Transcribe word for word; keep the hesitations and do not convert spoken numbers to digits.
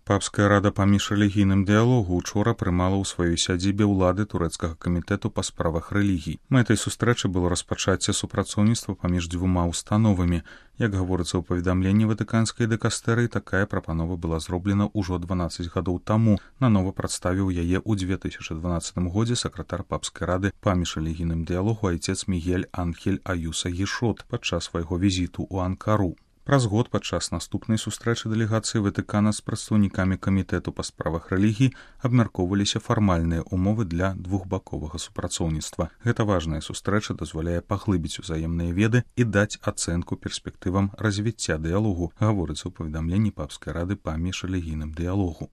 Папская рада паміж рэлігійным дыялогу учора прымала ў сваёй сядзібе ўлады турэцкага камітэту па справах рэлігій. Мэтай сустрэчы было распачацце супрацоўніцтва паміж дзвюма установамі. Як гаворыцца ў паведамленні ватыканскай дэкастэрыі, такая прапанова была зроблена ўжо дванаццаць гадоў таму. Нанова прадставіў яе ў дзве тысячы дванаццатым годзе сакратар папскай рады паміж рэлігійным дыялогу айцец Мігель Анхель Аюса Гішот падчас свайго візіту ў Анкару. Праз год падчас наступнай сустрэчы дэлегацыі Ватыкана з прадстаўнікамі камітэту па справах рэлігій абмяркоўваліся фармальныя ўмовы для двухбаковага супрацоўніцтва. Гэта важная сустрэча дазваляе паглыбіць узаемныя веды і даць ацэнку перспектывам развіцця дыялогу, гаворыцца ў паведамленні папскай рады паміж рэлігійным дыялогу.